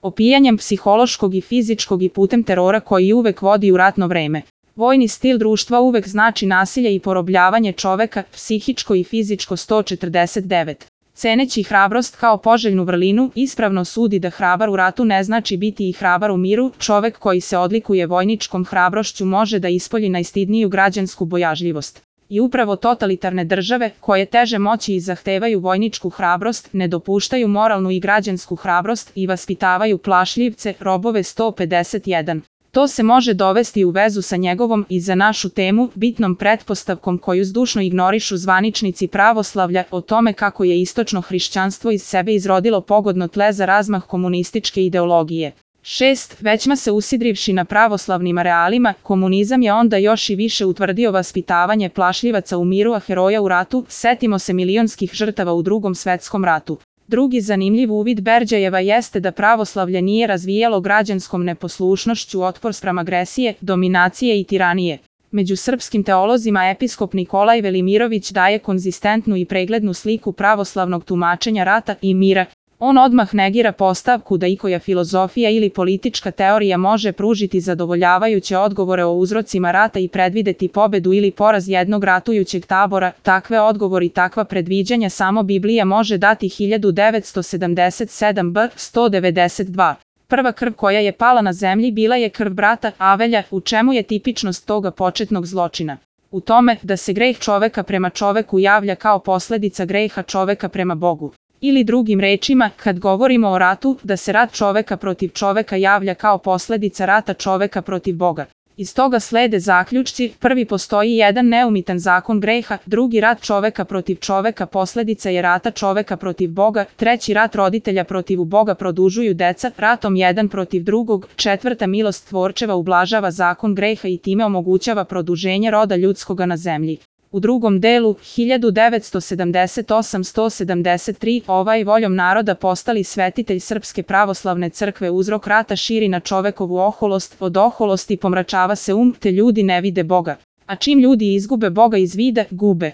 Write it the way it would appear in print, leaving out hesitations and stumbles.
opijanjem psihološkog i fizičkog i putem terora koji uvek vodi u ratno vreme. Vojni stil društva uvek znači nasilje i porobljavanje čoveka, psihičko i fizičko 149. Ceneći hrabrost kao poželjnu vrlinu, ispravno sudi da hrabar u ratu ne znači biti i hrabar u miru. Čovek koji se odlikuje vojničkom hrabrošću može da ispolji najstidniju građansku bojažljivost. I upravo totalitarne države, koje teže moći i zahtevaju vojničku hrabrost, ne dopuštaju moralnu i građansku hrabrost i vaspitavaju plašljivce, robove 151. To se može dovesti u vezu sa njegovom i za našu temu bitnom pretpostavkom koju zdušno ignorišu zvaničnici pravoslavlja o tome kako je istočno hrišćanstvo iz sebe izrodilo pogodno tle za razmah komunističke ideologije. 6. Većma se usidrivši na pravoslavnim arealima, komunizam je onda još i više utvrdio vaspitavanje plašljivaca u miru, a heroja u ratu. Setimo se milionskih žrtava u Drugom svetskom ratu. Drugi zanimljiv uvid Berđajeva jeste da pravoslavlje nije razvijalo građanskom neposlušnošću otpor spram agresije, dominacije i tiranije. Među srpskim teolozima episkop Nikolaj Velimirović daje konzistentnu i preglednu sliku pravoslavnog tumačenja rata i mira. On odmah negira postavku da ikoja filozofija ili politička teorija može pružiti zadovoljavajuće odgovore o uzrocima rata i predvideti pobedu ili poraz jednog ratujućeg tabora. Takve odgovori i takva predviđanja samo Biblija može dati. 1977 b. 192. Prva krv koja je pala na zemlji bila je krv brata Avelja. U čemu je tipičnost toga početnog zločina? U tome da se greh čoveka prema čoveku javlja kao posledica greha čoveka prema Bogu. Ili drugim rečima, kad govorimo o ratu, da se rat čoveka protiv čoveka javlja kao posledica rata čoveka protiv Boga. Iz toga slede zaključci: prvi, postoji jedan neumitan zakon greha; drugi, rat čoveka protiv čoveka posledica je rata čoveka protiv Boga; treći, rat roditelja protiv Boga produžuju deca ratom jedan protiv drugog; četvrta, milost tvorčeva ublažava zakon greha i time omogućava produženje roda ljudskoga na zemlji. U drugom delu, 1978-173, ovaj voljom naroda postali svetitelj Srpske pravoslavne crkve uzrok rata širi na čovekovu oholost, od oholosti pomračava se te ljudi ne vide Boga. A čim ljudi izgube Boga iz vida, gube